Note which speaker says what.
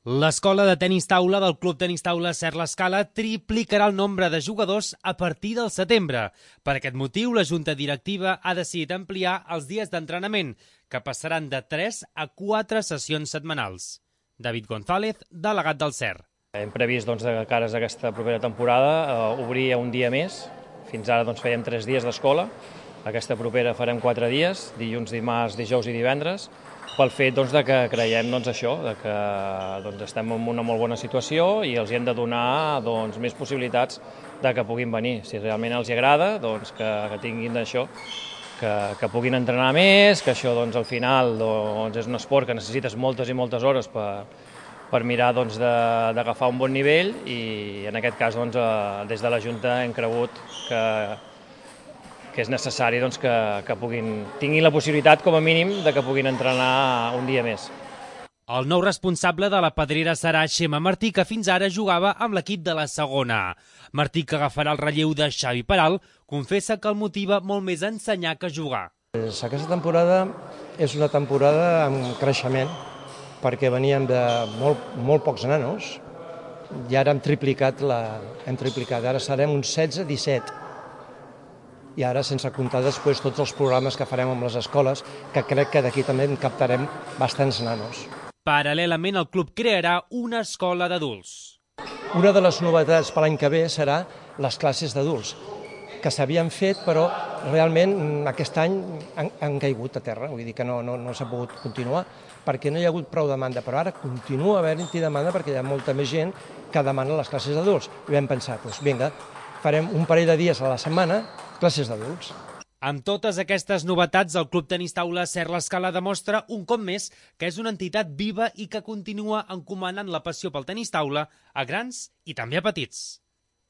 Speaker 1: L'escola de tenis taula del Club Tenis Taula Ser l'Escala triplicarà el nombre de jugadors a partir del setembre. Per aquest motiu, la Junta Directiva ha decidit ampliar els dies d'entrenament, que passaran de 3 a 4 sessions setmanals. David González, delegat del SER.
Speaker 2: Hem previst de cares a aquesta propera temporada obrir un dia més. Fins ara fèiem 3 dies d'escola. Aquesta propera farem 4 dies, dilluns, dimarts, dijous i divendres, pel fet de que creiem això, que estem en una molt bona situació i els hem de donar més possibilitats de que puguin venir. Si realment els agrada, que tinguin això, que puguin entrenar més, que això al final és un esport que necessites moltes i moltes hores per mirar d'agafar un bon nivell i en aquest cas des de la Junta hem cregut que és necessari que tinguin la possibilitat, com a mínim, de que puguin entrenar un dia més.
Speaker 1: El nou responsable de la Pedrera serà Xema Martí, que fins ara jugava amb l'equip de la segona. Martí, que agafarà el relleu de Xavi Peral, confessa que el motiva molt més ensenyar que jugar.
Speaker 3: Aquesta temporada és una temporada amb creixement, perquè veníem de molt pocs nanos i ara hem triplicat, ara serem uns 16-17. I ara sense comptar després tots els programes que farem amb les escoles, que crec que d'aquí també en captarem bastants nanos.
Speaker 1: Paral·lelament, el club crearà una escola d'adults.
Speaker 3: Una de les novetats per l'any que ve serà les classes d'adults, que s'havien fet, però realment aquest any han caigut a terra, vull dir que no s'ha pogut continuar, perquè no hi ha hagut prou demanda, però ara continua havent-hi demanda perquè hi ha molta més gent que demana les classes d'adults. I vam pensar, vinga, farem un parell de dies a la setmana, classes d'adults.
Speaker 1: Amb totes aquestes novetats, el Club Tenis Taula Ser l'Escala demostra un cop més que és una entitat viva i que continua encomanant la passió pel tenis taula a grans i també a petits.